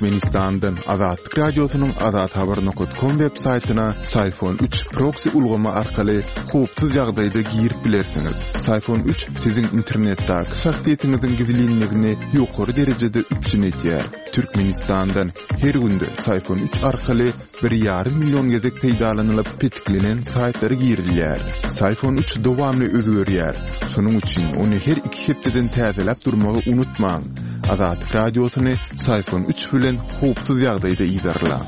Türkmenistandan Azatlyk Radiosynyň azathabar nokat kom web saýtyna Syfon üç proksi ulgamy arkaly howpsuz ýagdaýda girip bilersiňiz. Syfon üç siziň internetdäki şahsyýetiňiziň gizlinligini ýokary derejede üpjün edýär. Türkmenistandan her günde Syfon üç arkaly bir ýarym million gezek peýdalanylyp petiklenen saýtlara girilýär. Syfon üç dowamly özgerýär. Şonuň üçin ony her iki hepdeden täzeläp durmagy unutmaň. Azatlyk Radiosyny Syfon üç bilen howpsuz ýagdaýda yzarlaň.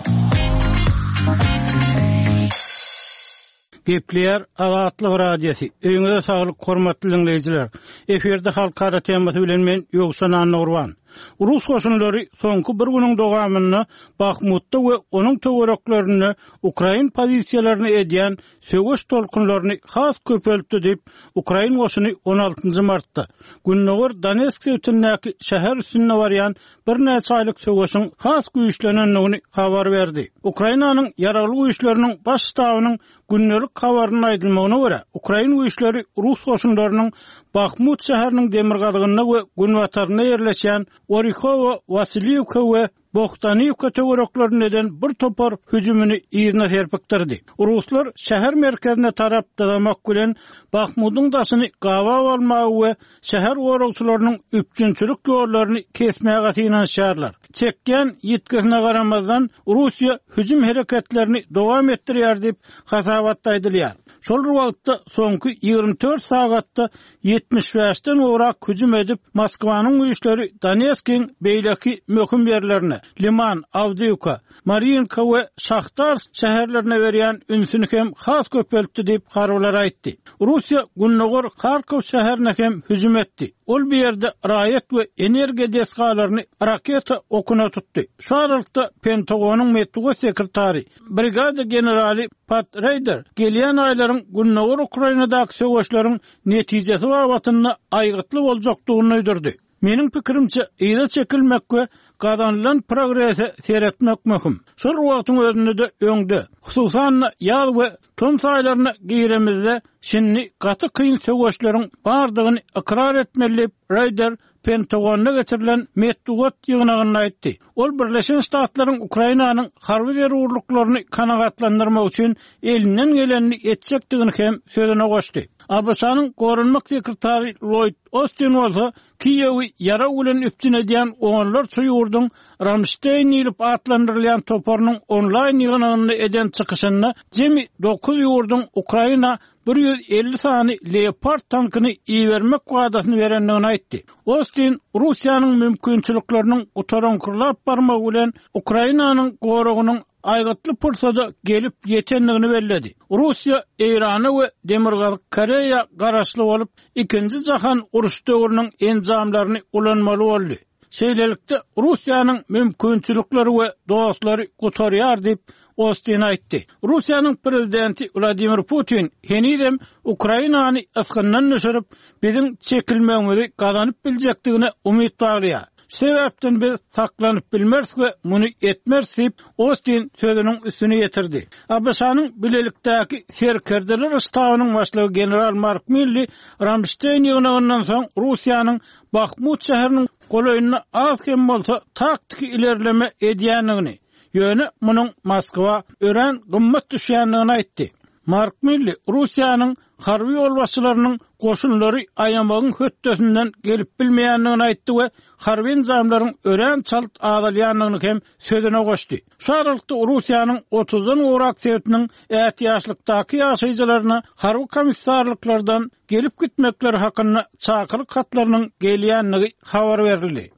Gepleýär Azatlyk Radiosy. Öýüňize saglyk hormatly diňleýjiler. Efirde halkara temasy bilen men Ýowşan Annagurban. Rus goşunlary soňky bir günüň dowamynda Bahmutda we onuň töwereklerinde ukrain pozisiýalaryna edýän söweş tolkunlaryny has köpeltdi diýip, ukrain goşuny on altynjy martda gündogar Donetsk sebitindäki şäher üstünde barýan birnäçe aýlyk söweşiň has güýçlenendigini habar berdi. Ukrainanyň Ýaragly Güýçleriniň Baş ştabynyň gündelik habarynda aýdylmagyna görä, ukrain güýçleri rus goşunlarynyň Bahmut şäheriniň demirgazygynda we günbatarynda ýerleşýän Orihowo-Wasiliwka we Bohdaniwka töwereklerinde eden bir topar hüjümini yzyna serpikdirdi. Ruslar şäher merkezine tarap dyzamak bilen, Bahmudyň daşyny gabap almaga we şäher goragçylarynyň üpjünçilik ýollaryny kesmäge synanyşýarlar. Çekýän ýitgisine garamazdan, Russiýa hüjüm hereketlerini dowam etdirýär diýip, hasabatda aýdylýar. Şol bir wagtda, soňky 24 sagatda 75-den gowrak hüjüm edip, Moskwanyň güýçleri Donetskiň beýleki möhüm ýerlerine, Liman, Awdiýwka, Marýinka we Şahtarsk şäherlerine berýän ünsüni hem has köpeltdi diýip, harbylar aýtdy. Russiýa gündogar Harkow şäherine hem hüjüm etdi. Ol bu ýerde raýat we energiýa desgalaryny raketa okuna tutdy. Şu aralykda, Pentagonyň metbugat sekretary, brigada generaly Pat Reýder gelýän aýlaryň gündogar Ukrainadaky söweşleriň netijesi babatynda aýgytly boljakdygyny duýdurdy. Meniň pikirimçe, yza çekilmek we gazanylan progrese seretmek möhüm. Şol bir wagtyň özünde-de öňde, hususan-da, ýaz we tomus aýlaryna giremizde, şindi gaty kyn söweşleriň bardygyny ykrar etmeli diýip, Reýder Pentagonda geçirilen metbugat ýygnagynda aýtdy. Ol Birleşen Ştatlaryň Ukrainanyň harby zerurlyklaryny kanagatlandyrmak üçin elinden gelenini etjekdigini hem sözüne goşdy. ABŞ-nyň goranmak sekretary Lloýd Ostin bolsa Kiýewi ýarag bilen üpjün edýän onlarça ýurduň Ramşteýn diýlip atlandyrylýan toparynyň onlaýn ýygnagynda eden çykyşynda jemi dokuz ýurduň Ukraina 150 sany Leopard tankyny ibermek wadasyny berendigini aýtdy. Ostin Russiýanyň mümkinçilikleriniň gutaraňkyrlap barmagy bilen Ukrainanyň goragynyň aýgytly pursada gelip ýetendigini belledi. Russiýa Eýrana we Demirgazyk Koreýa garaşly bolup, Ikinji jahan urşy döwrüniň enjamlaryny ulanmaly boldy. Şeýlelikde, Russiýanyň mümkinçilikleri we dostlary gutarýar diýip, Ostin aýtdy. Russiýanyň prezidenti Wladimir Putin henizem Ukrainany ysgyndan düşürip, biziň çekilmegimizi gazanyp biljekdigine umyt baglaýar. Şu sebäpden biz saklanyp bilmeris we muny etmeris diýip, Ostin sözüniň üstüni ýetirdi. ABŞ-nyň Bilelikdäki serkerdeler ştabynyň başlygy general Mark Milli Ramşteýn ýygnagyndan soň Russiýanyň Bahmut şäheriniň golaýynda az hem bolsa taktiki ilerleme edýändigini, ýöne munuň Moskwa örän gymmat düşýändigini aýtdy. Mark Milli Russiýanyň harby ýolbaşçylarynyň goşunlary aýamagyň hötdesinden gelip bilmeýändigini aýtdy we harby enjamlaryň örän çalt azalýandygyny hem sözüne goşdy. Şu aralykda Russiýanyň otuzdan gowrak sebitiniň ätiýaçlykdaky ýaşaýjylaryna harby komissarlyklardan gelip-gitmekleri hakynda çakylyk hatlarynyň gelýändigi habar berildi.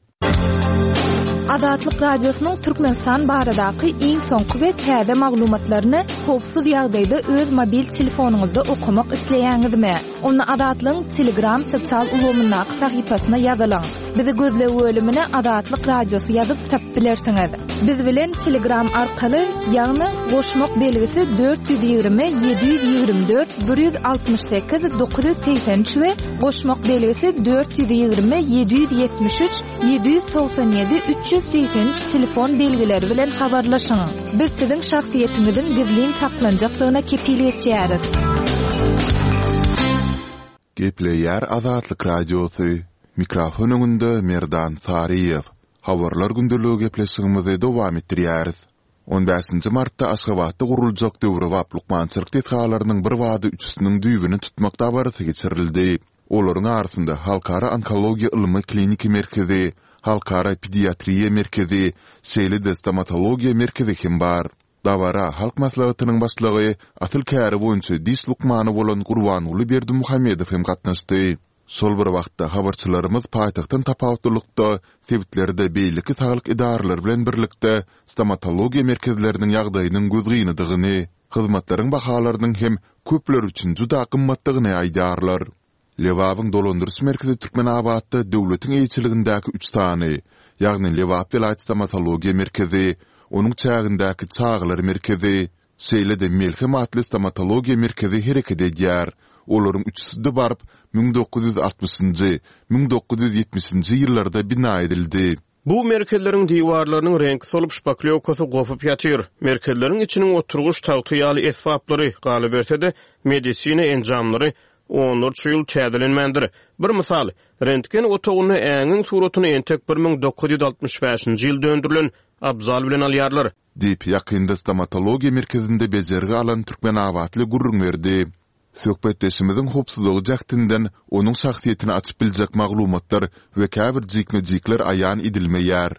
Azatlyk Radiosynyň Türkmenistan baradaky iň soňky we täze maglumatlaryny howpsuz ýagdaýda öz mobil telefonyňyzda okamak isleýäňizmi? Onda Azatlygyň Telegram sosial ulgamyndaky sahypasyna ýazylyň. Bizi gözleg bölümine Azatlyk Radiosy ýazyp tapyp bilersiňiz. Biz bilen Telegram arkaly, ýagny goşmak belgisi 420 724 168 983 we goşmak belgisi 420 773 797 383 telefon belgileri bilen habarlaşyň. Biz siziň şahsyýetiňiziň gizlin saklanjakdygyna kepil geçýäris. Gepleýär Azatlyk Radiosy, Mikrofon öňünde Merdan Saryýew. Habarlar gündeligi gepleşigimizi dowam etdirýäris. On bäşinji martda Aşgabatda guruljak döwrebap lukmançylyk desgalarynyň birbada üçüsiniň düýbüni tutmak dabarasy geçirildi. Olaryň arasynda Halkara onkologiýa ylmy-kliniki merkezi, Halkara pediatriýa merkezi, şeýle-de stomatologiýa merkezi hem bar. Dabara Halk Maslahatynyň Başlygy, asyl käri boýunça diş lukmany bolan Gurbanguly Berdimuhamedow hem gatnaşdy. Şol bir wagtda, habarçylarymyz paýtagtdan tapawutlylykda, sebitlerde beýleki saglyk edaralary bilen birlikde stomatologiýa merkezleriniň ýagdaýynyň gözgynydygyny, hyzmatlaryň bahalarynyň hem köpler üçin juda gymmatdygyny aýdýarlar. Lebabyň dolandyryş merkezi Türkmenabatda döwletiň eýeçiligindäki üç sany, ýagny Lebap welaýat stomatologiýa merkezi, onuň çägindäki çagalar merkezi, şeýle-de Melhem atly stomatologiýa merkezi hereket edýär. Olaryň üçüsi-de baryp, 1960-njy, 1970-nji ýyllarda bina edildi. Bu merkezleriň diwarlarynyň reňki solup, şpaklýowkasy gopup ýatyr. Merkezleriň içiniň oturgyç tagta ýaly esbaplary, galyberse-de, medisina enjamlary onlarça ýyl täzelenmändir. Bir mysal, rentgen otagynda äňiň suratyny entek 1965-nji ýylda öndürilen abzal bilen alýarlar. Diýip, ýakynda stomatologiýa merkezinde bejergi alan türkmenabatly gürrüň berdi. Söhbetdeşimiziň howpsuzlygy jähtinden onuň şahsyýetini açyp biljek maglumatlar we käbir jikme-jikler aýan edilmeýär.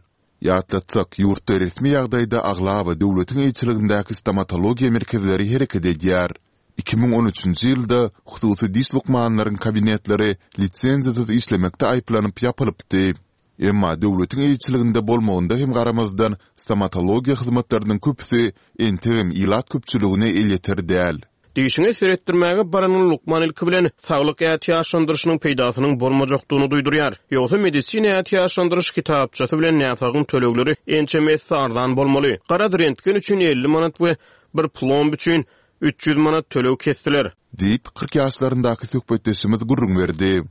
Ýatlatsak, ýurtda resmi ýagdaýda aglaba döwletiň eýeçiligindäki stomatologiýa merkezleri hereket edýär. 2013-nji ýylda hususy diş lukmanlaryň kabinetleri lisenziýasyz işlemekde aýyplanyp ýapylypdy. Emma döwletiň eýeçiliginde bolmagynda hem garamazdan, stomatologiýa hyzmatlarynyň köpüsi entegem ilat köpçüligine elýeter däl. Dişiňe seretdirmäge baranyň lukman ilki bilen saglyk ätiýaçlandyryşynyň peýdasynyň bolmajakdygyny duýdurýar. Ýogsa medisina ätiýaçlandyryş kitapçasy bilen näsagyň tölegleri ençeme esse arzan bolmaly. Garaz, rentgen üçin 50 manat we bir plomb üçin 300 manat töleg kesdiler. Diýip, 40 ýaşlaryndaky söhbetdeşimiz gürrüň berdi.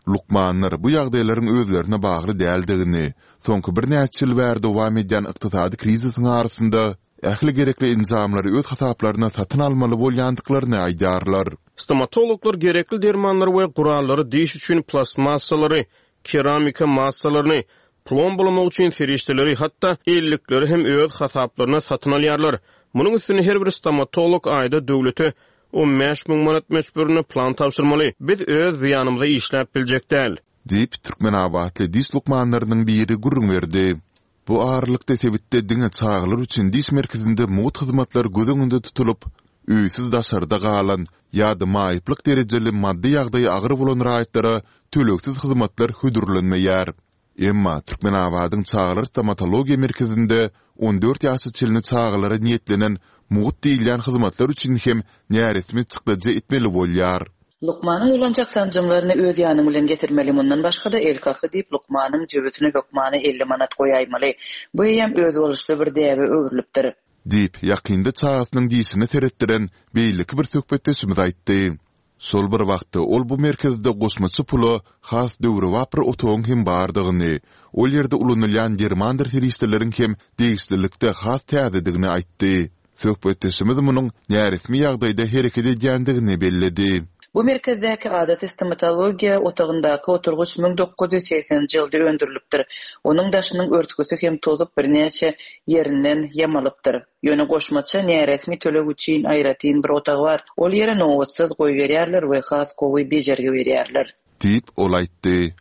Lukmanlar bu ýagdaýlaryň özlerine bagly däldigini, soňky birnäçe ýyl bäri dowam edýän ykdysady krizisiň arasynda ähli gerekli enjamlary öz hasaplaryna satyn almaly bolýandyklaryny aýdýarlar. Stomatologlar gerekli dermanlary we gurallary diş üçin plastmassalary, keramika massalaryny, plombalamak üçin serişdeleri, hatda ellikleri hem öz hasaplaryna satyn alýarlar. Munuň üstüne her bir stomatolog aýda döwlete 15 000 manat möçberinde plan tabşyrmaly. Biz öz zyýanymyza işläp biljek däl. Diýip, türkmenabatly diş lukmanlarynyň biri gürrüň berdi. Bu aralykda sebitde diňe çagalar üçin diş merkezinde mugt hyzmatlar göz öňünde tutulyp, öýsüz daşarda galan ýa-da maýyplyk derejeli maddy ýagdaýy agyr bolan raýatlara tölegsiz hyzmatlar hödürlenmeýär. Emma Türkmenabadyň çagalar stomatologiýa merkezinde 14 ýaşa çenli çagalara niýetlenen mugt diýilýän hyzmatlar üçin hem näresmi çykdajy etmeli bolýar. Lukmanyň ulanjak sanjymlaryny öz ýanyň bilen getirmeli, mundan başga-da el kaky diýip lukmanyň jübüsine hökmany 50 manat goýaýmaly. Bu eýýäm özboluşly bir däbe öwrülipdir. Diýip, ýakynda çagasynyň dişine seretdiren beýleki bir söhbetdeşimiz aýtdy. Şol bir wagtda, ol bu merkezde goşmaça pula has döwrebap bir otagyň hem bardygyny, ol ýerde ulanylýan dermandyr serişdeleriň hem degişlilikde has täzedigini aýtdy. Söhbetdeşimiz munuň näresmi ýagdaýda hereket edýändigini belledi. Bu merkezdäki adaty stomatologiýa otagyndaky oturgyç 1980-nji ýylda öndürilipdir. Onuň daşynyň örtgüsi hem tozup, birnäçe ýerinden ýamalypdyr. Ýöne goşmaça näresmi töleg üçin aýratyn bir otag bar. Ol ýere nobatsyz goýberýärler we has gowy bejergi berýärler. Diýip, ol aýtdy.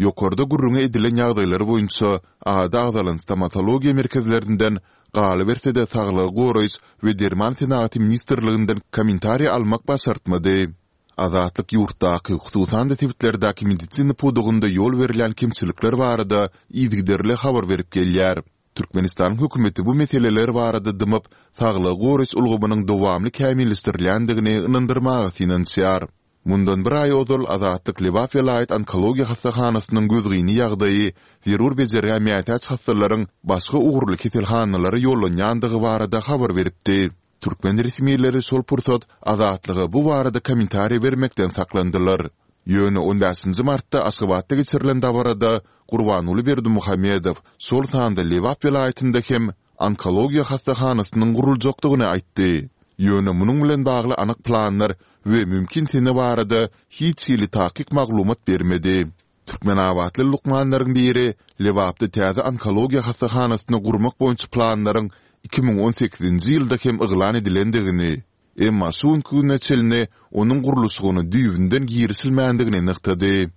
Ýokarda gürrüňi edilen ýagdaýlar boýunça ady agzalan stomatologiýa merkezlerinden, galyberse-de Saglygy goraýyş we derman senagaty ministrliginden kommentariý almak başartmady. Azatlyk ýurtdaky, hususan-da sebitlerdäki medisina pudagynda ýol berilýän kemçilikler barada yzygiderli habar berip gelýär. Türkmenistanyň hökümeti bu meseleler barada dymyp, saglygy goraýyş ulgamynyň dowamly kämilleşdirilýändigini ynandyrmaga synanyşýar. Mundan bir aý ozal Azatlyk Lebap welaýat onkologiýa hassahanasynyň gözgyny ýagdaýy, zerur bejergä mätäç hassalaryň başga ugurly keselhanalara ýollanýandygy barada habar beripdi. Türkmen resmileri şol pursat Azatlyga bu barada kommentariý bermekden saklandylar. Ýöne on bäşinji martda Aşgabatda geçirilen dabarada Gurbanguly Berdimuhamedow şol sanda Lebap welaýatynda hem onkologiýa hassahanasynyň guruljakdygyny aýtdy. Ýöne munuň bilen bagly anyk planlar we mümkin sene barada hiç hili takyk maglumat bermedi. Türkmenabatly lukmanlaryň biri Lebapda täze onkologiýa hassahanasyny gurmak boýunça planlaryň 2018-nji ýylda hem yglan edilendigini, emma şu günki güne çenli onuň gurluşygyna düýbünden girişilmändigini nygtady.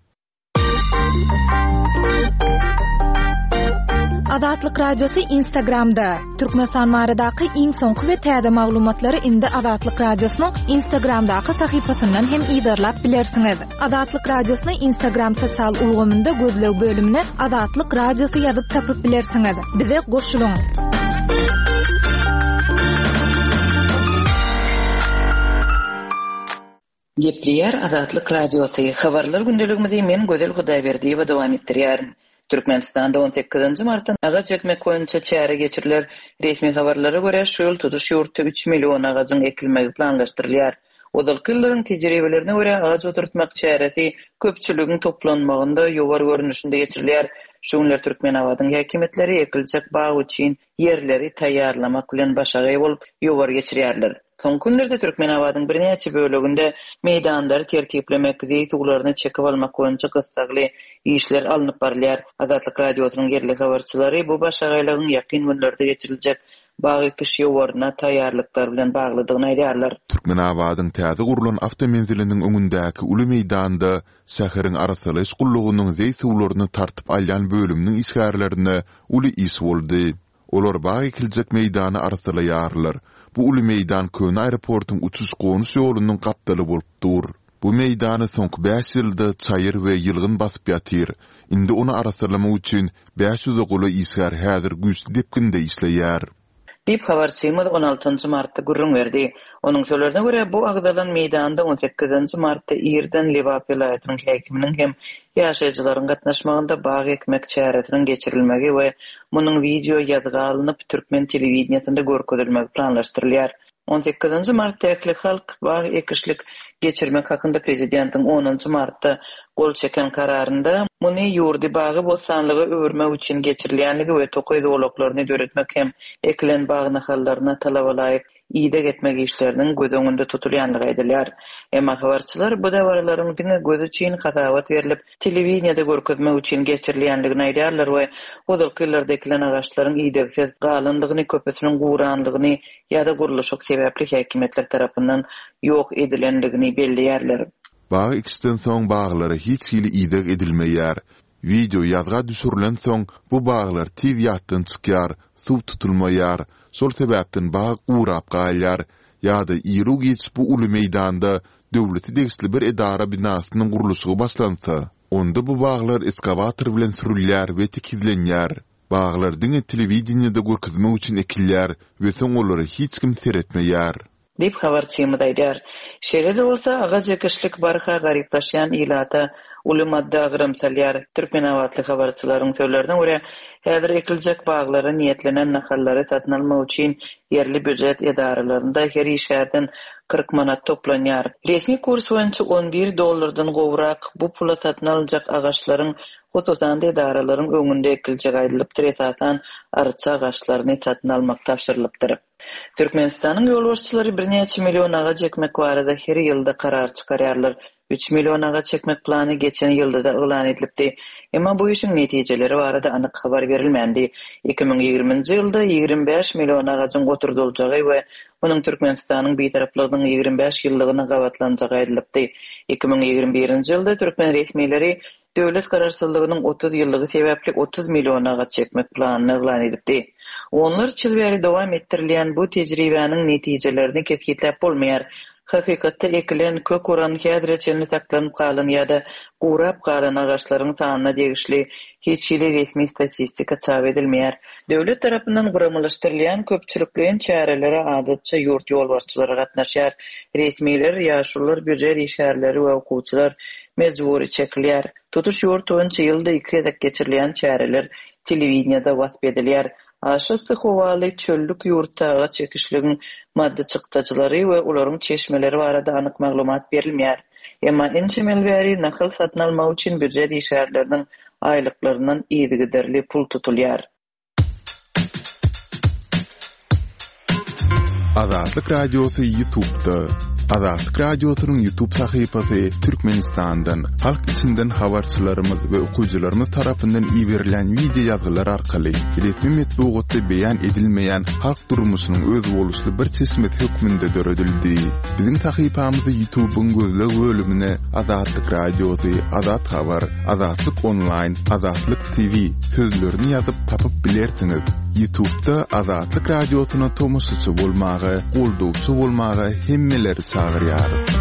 Azatlyk Radiosy Instagramda, Türkmenistan baradaky iň soňky we täze maglumatlary indi Azatlyk Radiosynyň Instagramdaky sahypasyndan hem yzarlap bilersiňiz. Azatlyk Radiosyny Instagram sosial ulgamynda gözleg bölümine Azatlyk Radiosy ýazyp tapyp bilersiňiz. Bize goşulyň! Gepleýär Azatlyk Radiosy, Habarlar gündeligimizi men Gözel Hudaýberdiýewa dowam etdirýärin. Türkmenistanda on sekizinji martdan agaç ekmek boýunça çäre geçiriler. Resmi habarlara görä, şu ýyl tutuş ýurtda üç million agajyň ekilmegi planlaşdyrylýar. Ozalky ýyllaryň tejribelerine görä, agaç oturtmak çäresi köpçüligiň toplanmagynda ýowar görnüşinde geçirilýär. Şu günler Türkmenabadyň häkimiýetleri ekiljek bag üçin ýerleri taýýarlamak bilen başagaý bolup, ýowar geçirýärler. Soňky günlerde Türkmenabadyň birnäçe böleginde meýdanlary tertiplemek, zeý suwlaryny çekip almak boýunça gyssagly işler alnyp barylýar. Azatlyk Radiosynyň ýerli habarçylary bu başagaýlygyň ýakyn günlerde geçiriljek bag ekiş ýowaryna taýýarlyklar bilen baglydygyny aýdýarlar. Türkmenabadyň täze gurlan awtomenziliniň öňündäki uly meýdanda şäheriň arassalaýyş gullugynyň zeý suwlaryny tartyp alýan bölüminiň işgärlerine uly iş boldy. Olar bag ekiljek meýdany arassalaýarlar. Bu uly meýdan köne aeroportuň uçuş-gonuş ýolunyň gapdaly bolup dur. Bu meýdany soňky bäş ýylda çaýyr we ýylgyn basyp ýatyr. Indi ony arassalamak üçin bäş ýüze golaý işgär häzir güýçli depginde işleýär. Diýip, habarçymyz on altynjy martda gürrüň berdi. Onuň sözlerine görä, bu agzalan meýdanda on sekizinji martda irden Lebap welaýatynyň häkiminiň hem ýaşaýjylaryň gatnaşmagynda bag ekmek çäresiniň geçirilmegi we munuň wideo ýazga alnyp, türkmen telewideniýesinde görkezilmegi planlaşdyrylýar. On sekizinji martda ählihalk bag ekişlik geçirmek hakynda prezidentiň onunjy martda gol çeken kararynda muny ýurdy bagy-bossanlyga öwürmek üçin geçirilýänligi we tokaý zolaklaryny döretmek hem ekilen bag nahallaryna talabalaýyk ideg etmek işleriniň göz öňünde tutulýanlygy aýdylýar. Emma habarçylar bu dabaralaryň diňe göz üçin hasabat berlip, telewideniýede görkezmek üçin geçirilýänligini aýdýarlar we ozalky ýyllarda ekilen agaçlaryň idegsiz galandygyny, köpüsiniň gurandygyny ýa-da gurluşyk sebäpli häkimiýetler tarapyndan ýok edilendigini belleýärler. Bag ekişden soň baglara hiç hili ideg edilmeýär. Wideo ýazga düşürilensoň bu baglar tiz ýatdan çykýar, suw tutulmaýar. Şol sebäpden bag gurap galýar. Ýa-da iru-giç bu uly meýdanda döwlete degişli bir edara binasynyň gurluşygy başlansa, onda bu baglar eskawator bilen sürülýär we tekizlenýär. Baglar diňe telewideniýede görkezmek üçin ekilýär we soň olara hiç kim seretmeýär. Diýip, habarçymyz aýdýar. Şeýle-de bolsa, agaç ekişlik barha garyplaşýan ilata uly maddy agram salýar. Türkmenabatly habarçylaryň sözlerine görä, häzir ekiljek baglara niýetlenen nahallary satyn almak üçin ýerli býujet edaralarynda her işgärden 40 manat toplanýar. Resmi kurs boýunça on bir dollardan gowrak bu pula satyn alynjak agaçlaryň Hususan-da, edaralaryň öňünde ekiljegi aýdylypdyr, esasan, arça agaçlaryny satyn almak tabşyrylypdyr. Türkmenistanyň ýolbaşçylary birnäçe million agaç ekmek barada her ýylda karar çykarýarlar. Üç million agaç ekmek plany geçen ýylda-da yglan edilipdi. Emma bu işiň netijeleri barada anyk habar berilmändi. 2020-nji ýylda 25 million agajyň oturdyljagy we munuň Türkmenistanyň Bitaraplygynyň 25 ýyllygyna gabatlanjagy aýdylypdy. 2021-nji ýylda türkmen resmileri Döwlet Garaşsyzlygynyň 30 ýyllygy sebäpli 30 million agaç ekmek planyny yglan edipdi. Onlarça ýyl bäri dowam etdirilýän bu tejribäniň netijelerini kesgitläp bolmaýar. Hakykatda ekilen, kök uran, häzire çenli saklanyp galan ýa-da gurap galan agaçlaryň sanyna degişli hiç hili resmi statistika çap edilmeýär. Döwlet tarapyndan guramalaşdyrylýan köpçülikleýin çärelere adatça ýurt ýolbaşçylary gatnaşýar. Resmiler, ýaşulular, býujet işgärleri we okuwçylar mejbury çekilýär. Tutuş ýurt boýunça ýylda iki gezek geçirilýän çäreler telewideniýede wasp edilýär. Aşa yssy howaly çöllük ýurtda agaç ekişligiň maddy çykdajylary we olaryň çeşmeleri barada anyk maglumat berilmeýär. Emma ençeme ýyl bäri nahal satyn almak üçin býujet işgärleriniň aýlyklaryndan yzygiderli pul tutulýar. Azatlyk Radiosy YouTube'da. Azatlyk Radiosynyň YouTube sahypasy Türkmenistandan, halk içinden habarçylarymyz we okyjylarymyz tarapyndan iberilýän wideo ýazgylar arkaly resmi metbugatda beýan edilmeýän halk durmuşynyň özboluşly bir çeşmesi hökmünde döredildi. Biziň sahypamyzy YouTube-yň gözleg bölümine Azatlyk Radiosy, Azat Habar, Azatlyk Onlaýn, Azatlyk TV sözlerini ýazyp tapyp bilersiňiz. Ýutubda Azatlyk Radiosyna tomaşaçy bolmaga, goldawçy bolmaga hemmeleri çagyrýarys.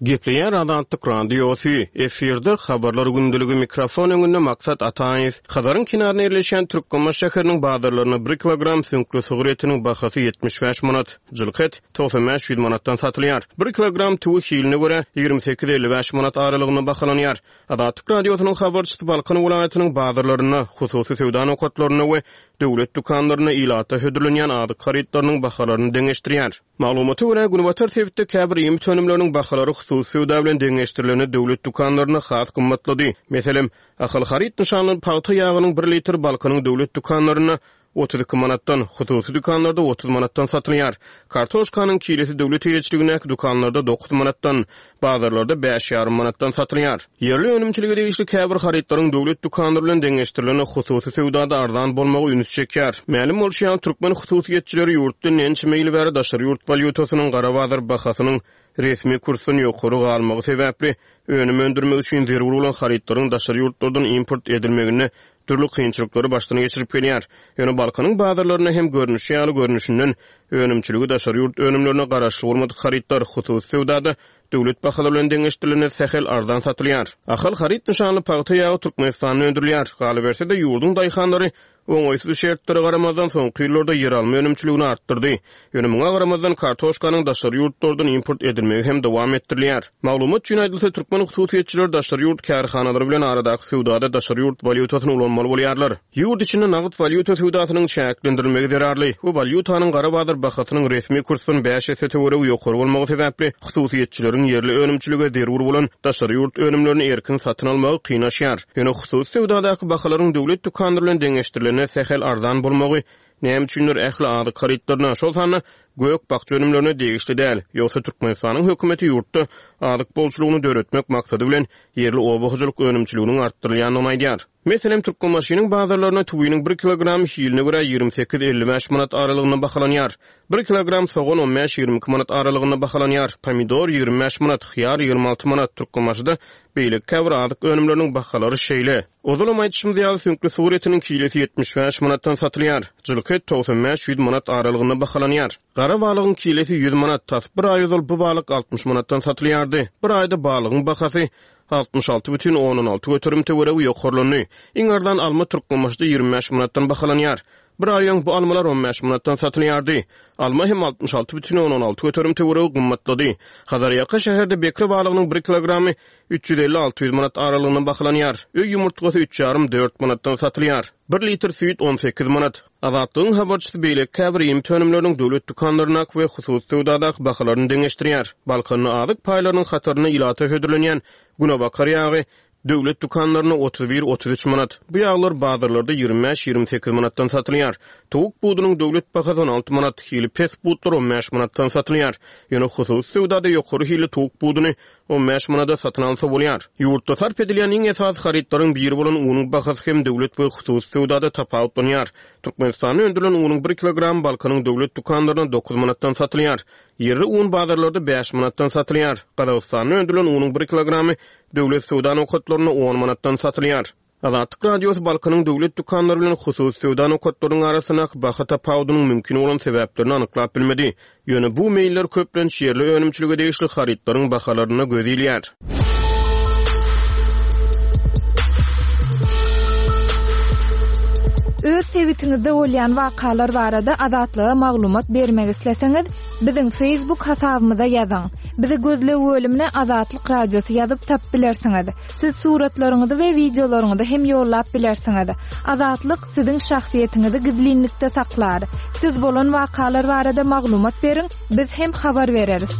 Gepleýär Azatlyk Radiosy, efirde Habarlar gündeligi, mikrofon öňünde Maksat Ataýew. Hazaryň kenarynda ýerleşýän Türkmenbaşy şäheriniň bazarlarynda bir kilogram süňkli sygyr etiniň bahasy 75 manat, jylky et 95-100 manatdan satylýar. Bir kilogram tüwi hiline görä, 28-55 manat aralygynda bahalanýar. Azatlyk Radiosynyň habarçysy Balkan welaýatynyň bazarlarynda, hususy söwda nokatlarynda we döwlet dükanlarynda ilata hödürlenýän azyk harytlarynyň bahalaryny deňeşdirýär. Maglumata görä, günbatar sebitde käbir iýmit önümleriniň bahalary hususy söwda bilen deňeşdirilende döwlet dükanlarynda has gymmatlady. Meselem, Ahal haryt nyşanly pagta ýagynyň bir litri Balkanyň döwlet dükanlarynda 32 manatdan, hususy dükanlarda 30 manatdan satylýar. Kartoşkanyň kilesi döwlet eýeçiligindäki dükanlarda 9 manatdan, bazarlarda bäş ýarym manatdan satylýar. Ýerli önümçilige degişli käbir harytlaryň döwlet dükanlary bilen deňeşdirilende hususy söwdada arzan bolmagy ünsi çekýär. Mälim bolşy ýaly, türkmen hususyýetçileri ýurtda ençeme ýyl bäri daşary ýurt walýutasynyň gara bazar bahasynyň resmi kursdan ýokary galmagy sebäpli, önüm öndürmek üçin zerur bolan harytlaryň daşary ýurtlardan import edilmeginde dürli kynçylyklary başdan geçirip gelýär. Ýöne Balkanyň bazarlarynda hem görnüşi ýaly görnüşinden önümçiligi daşary ýurt önümlerine garaşly bolmadyk harytlar hususy söwdada döwlet bahalary bilen deňeşdirilende sähel arzan satylýar. Ahal haryt nyşanly pagta ýagy Türkmenistanda öndürilýär. Galyberse-de, ýurduň daýhanlary Oňaýsyz şertlere garamazdan, soňky ýyllarda ýeralma önümçiligini artdyrdy. Ýöne muňa garamazdan, kartoşkanyň daşary ýurtlardan import edilmegi hem dowam etdirilýär. Maglumat üçin aýdylsa, türkmen hususyýetçileri daşary ýurt kärhanalary bilen aradaky söwdada daşary ýurt walýutasyny ulanmaly bolýarlar. Ýurt içinde nagt walýuta söwdasynyň çäklendirilmegi zerarly we walýutanyň gara bazar bahasynyň resmi kursdan bäş esse töweregi ýokary bolmagy sebäpli, hususyýetçileriň ýerli önümçilige zerur bolan daşary ýurt önümlerini erkin satyn almagy kynlaşýar. Ýöne hususy söwdadaky bahalaryň döwlet dükanlary bilen deňeşdirilende sähel arzan bolmagy näme üçindir ähli azyk harytlaryna, şol sanda gök-bakja önümlerine degişli däl. Ýogsa Türkmenistanyň hökümeti ýurtda azyk bolçulygyny döretmek maksady bilen ýerli oba hojalyk önümçiliginiň artdyrylýandygyny aýdýar. Meselem, Türkmenbaşynyň bazarlarynda tüwiniň bir kilogramy hiline görä 28, 55 manat aralygynda bahalanýar. Bir kilogram sogan on bäş, 22 manat aralygynda bahalanýar. Pomidor 25 manat, hyýar 26 manat. Türkmenbaşyda beýleki käbir azyk önümleriniň bahalary şeýle. Ozalam aýdyşymyz ýaly, süňkli sygyr etiniň kilesi 75 manatdan satylýar. Jylky et 95, 100 manat aralygynda bahalanýar. Gara balygyň kilesi 100 manat, tas bir aý ozal bu balyk 60 manatdan satylýardy. Bir aýda balygyň bahasy 66,6 göterim töweregi ýokarlandy. Iň arzan alma Türkmenbaşyda 25 manatdan bahalanýar. Bir aý öň bu almalar 15 manatdan satylýardy. Alma hem 66,6 göterim töweregi gymmatlady. Hazarýaka şäherde bekre balygynyň bir kilogramy 350-600 manat aralygynda bahalanýar. Öý ýumurtgasy üç ýarym, dört manatdan satylýar. Bir litr süýt 18 manat. Azatlygyň habarçysy beýleki käbir iýmit önümleriniň döwlet dükanlaryndaky we hususy söwdadaky bahalaryny deňeşdirýär. Balkanda azyk paýlarynyň hatarynda ilata hödürlenýän günebakar ýagy döwlet dükanlarynda 31, 33 manat. Bu ýaglar bazarlarda 25, 28 manatdan satylýar. Towuk budunyň döwlet bahasy 16 manat, hili pes butlar 15 manatdan satylýar. Ýöne hususy söwdada ýokary hilli towuk buduny 15 manada satyn alsa bolýar. Ýurtda sarp edilýän iň esasy harytlaryň biri bolan unuň bahasy hem döwlet we hususy söwdada tapawutlanýar. Türkmenistanda öndürilen unuň bir kilogramy Balkanyň döwlet dükanlarynda 9 manatdan satylýar. Ýerli un bazarlarda 5 manatdan satylýar. Gazagystanda öndürilen unuň bir kilogramy döwlet söwda nokatlarynda on manatdan satylýar. Azatlyk Radiosy Balkanyň döwlet dükanlary bilen hususy söwda nokatlarynyň arasyndaky baha tapawudynyň mümkin bolan sebäplerini anyklap bilmedi. Ýöne bu meýiller köplenç ýerli önümçilige degişli harytlaryň bahalarynda göz ilýär. Öz sebitiňizde bolýan wakalar barada Azatlyga maglumat bermek isleseňiz, biziň Facebook hasabymyza ýazyň. Bizi gözleg bölümine Azatlyk Radiosy ýazyp tapyp bilersiňiz. Siz suratlaryňyzy we wideolaryňyzy hem ýollap bilersiňiz. Azatlyk siziň şahsyýetiňizi gizlinlikde saklar. Siz bolan wakalar barada maglumat beriň, biz hem habar bereris.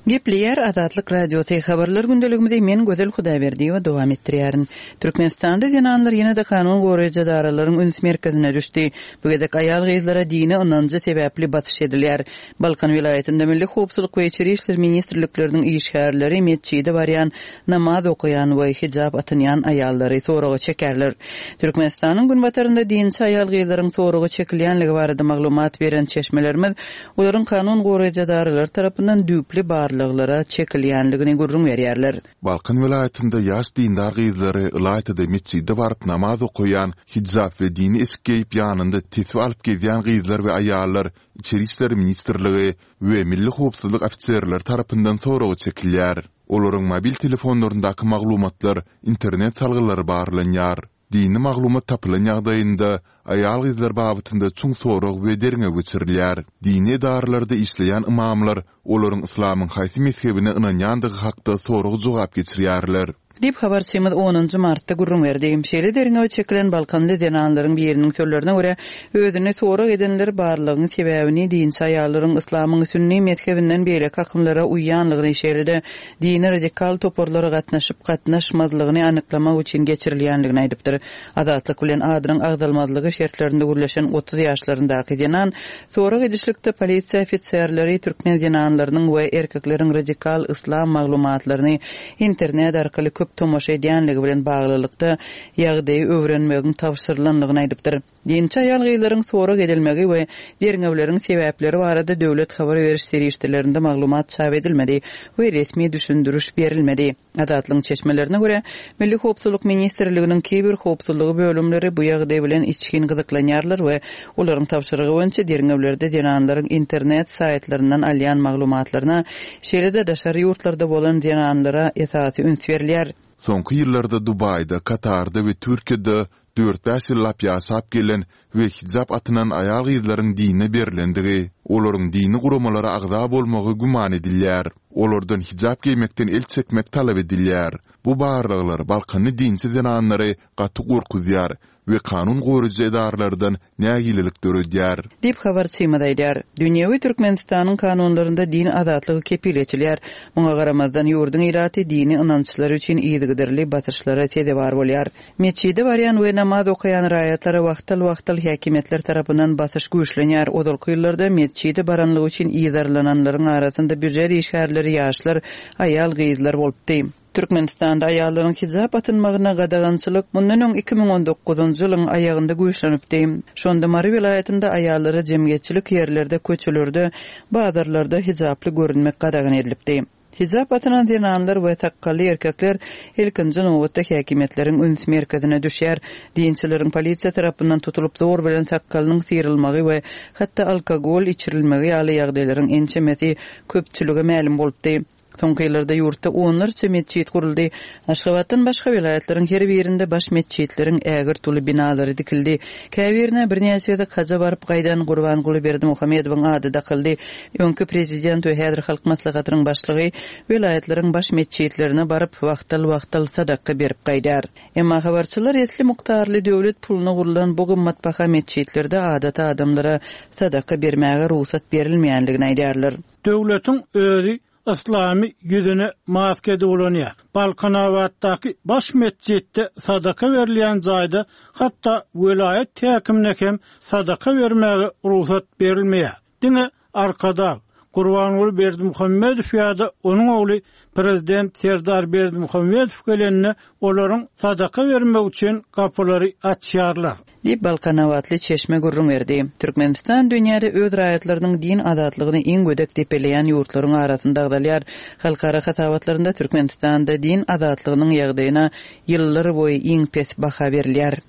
Gepleýär Azatlyk Radiosy, Habarlar gündeligimizi men Gözel Hudaýberdiýewa dowam etdirýärin. Türkmenistanda zenanlar ýene-de kanun goraýjy edaralaryň üns merkezine düşdi. Bu gezek aýal-gyzlara dini ynanjy sebäpli basyş edilýär. Balkan welaýatynda Milli howpsuzlyk we Içeri işler ministrlikleriniň işgärleri metjide barýan, namaz okaýan we hijap atynýan aýallary soraga çekerler. Türkmenistanyň günbatarynda dinçi aýal-gyzlaryň soraga çekilýänligi barada maglumat beren çeşmelerimiz olaryň kanun goraýjy edaralary tarapyndan düýpli barlaglara çekilýänligini gürrüň berýärler. Balkan welaýatynda ýaş dindar gyzlary, ylaýta-da metjide baryp namaz okaýan, hijap we dini eşik geýip ýanynda tesbi alyp gezýän gyzlar we aýallar Içeri işler ministrligi we Milli howpsuzlyk ofiserleri tarapyndan soraga çekilýär. Olaryň mobil telefonlaryndaky maglumatlar, internet salgylary barlanýar. Dini maglumat tapylan ýagdaýynda, aýal-gyzlar babatynda çuň sorag we derňew geçirilýär. Dini edaralarda işleýän ymamlar olaryň yslamyň haýsy mezhebine ynanýandygy hakda sorag-jogap geçirýärler. Diýip, habarçymyz onunjy martda gürrüň berdi. Şeýle derňewe çekilen balkanly zenanlaryň biriniň sözlerine görä, özüni sorag edenler barlagyň sebäbini dinçi aýallaryň yslamyň sünni mezhebinden beýleki akymlara uýýanlygyny, şeýle-de dini radikal toparlara gatnaşyp-gatnaşmazlygyny anyklamak üçin geçirilýänligini aýdypdyr. Azatlyk bilen adynyň agzalmazlygy şertlerinde gürleşen 30 ýaşlaryndaky zenan sorag edişlikde polisiýa ofiserleri türkmen zenanlarynyň we erkekleriň radikal yslam maglumatlaryny internet arkaly köp tomaşa edýänligi bilen baglylykda ýagdaýy öwrenmegiň tabşyrylandygyny aýdypdyr. Dinçi aýal-gyzlaryň sorag edilmegi we derňewleriň sebäpleri barada döwlet habar beriş serişdelerinde maglumat çap edilmedi we resmi düşündiriş berilmedi. Azatlygyň çeşmelerine görä, Milli howpsuzlyk ministrliginiň kiber howpsuzlygy bölümleri bu ýagdaý bilen içgin gyzyklanýarlar we olaryň tabşyrygy boýunça derňewlerde zenanlaryň internet saýtlaryndan alýan maglumatlaryna, şeýle-de daşary ýurtlarda bolan zenanlara esasy üns berilýär. Soňky ýyllarda Dubaýda, Katarda we Türkiýede dört-bäş ýyllap ýaşap gelen we hijap atynan aýal-gyzlaryň dine berlendigi, olaryň dini guramalara agza bolmagy güman edilýär. Olardan hijap geýmekden el çekmek talap edilýär. Bu barlaglar balkanly dinçi zenanlary gaty gorkuzýar we kanun goraýjy edaralardan nägilelik döredýär. Diýip, habarçymyz aýdýar. Dünýewi Türkmenistanyň kanunlarynda din azatlygy kepil geçilýär. Muňa garamazdan, ýurduň ilaty dini ynançlary üçin yzygiderli basyşlara sezewar bolýar. Metjide barýan we namaz okaýan raýatlara wagtal-wagtal häkimiýetler tarapyndan basyş güýçlenýär. Ozalky ýyllarda metjide baranlygy üçin yzarlananlaryň arasynda býujet işgärleri, ýaşlar, aýal-gyzlar bolupdy. Türkmenistanda aýallaryň hijap atynmagyna gadagançylyk mundan öň 2019-njy ýylyň aýagynda güýçlenipdi. Şonda Mary welaýatynda aýallara jemgyýetçilik ýerlerde, köçelerde, bazarlarda hijaply görünmek gadagan edilipdi. Hijap atynan zenanlar we sakgally erkekler ilkinji nobatda häkimiýetleriň üns merkezine düşýär. Dinçileriň polisiýa tarapyndan tutulyp zor bilen sakgalynyň syrylmagy we hatda alkogol içirilmegi ýaly ýagdaýlaryň ençemesi köpçülige mälim bolupdy. Soňky ýyllarda ýurtda onlarça metjit guruldy. Aşgabatdan başga welaýatlaryň her birinde baş metjitleriň ägirt uly binalary dikildi. Käbirine birnäçe gezek haja baryp gaýdan Gurbanguly Berdimuhamedowyň ady dakyldy. Öňki prezident we häzir Halk Maslahatynyň başlygy welaýatlaryň baş metjitlerine baryp, wagtal-wagtal sadaka berip gaýdýar. Emma habarçylar esli mukdarly döwlet puluna gurlan bu gymmatbaha metjitlerde adaty adamlara sadaka bermäge rugsat berilmeýändigini aýdýarlar. Döwletiň özi yslamy ýüzüne maska edip ulanýar. Balkanabatdaky baş metjitde sadaka berilýän jaýda hatda welaýat häkimine hem sadaka bermäge rugsat berilmeýär. Diňe Arkadag, Gurbanguly Berdimuhamedow ýa-da onuň ogly prezident Serdar Berdimuhamedow gelende olaryň sadaka bermegi üçin gapylary açýarlar. Diýip, balkanabatly çeşme gürrüň berdi. Türkmenistan dünýäde öz raýatlarynyň din azatlygyny iň gödek depeleýän ýurtlaryň arasynda agzalýar. Halkara hasabatlarynda Türkmenistanda din azatlygynyň ýagdaýyna ýyllar boýy iň pes baha berilýär.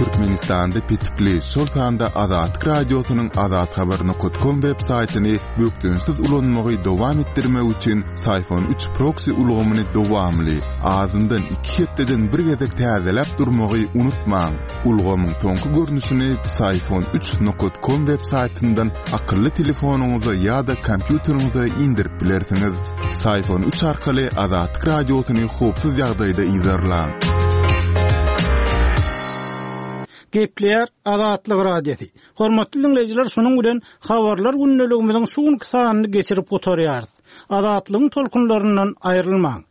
Türkmenistanda petikli, şol sanda Azatlyk Radiosynyň azathabar nokat kom web saýtyny bökdençsiz ulanmagy dowam etdirmek üçin Syfon üç proksi ulgamyny dowamly, azyndan iki hepdeden bir gezek täzeläp durmagy unutmaň. Ulgamyň soňky görnüşini Psiphon üç nokat kom web saýtyndan akylly telefonyňyza ýa-da kompýuteriňize indirip bilersiňiz. Psiphon üç arkaly Azatlyk Radiosyny howpsuz ýagdaýda yzarlaň. Gepleýär Azatlyk Radiosy. Hormatly diňleýjiler, şunuň bilen Habarlar gündeligimiziň şu günki sanyny geçirip gutarýarys. Azatlygyň tolkunlaryndan aýrylmaň!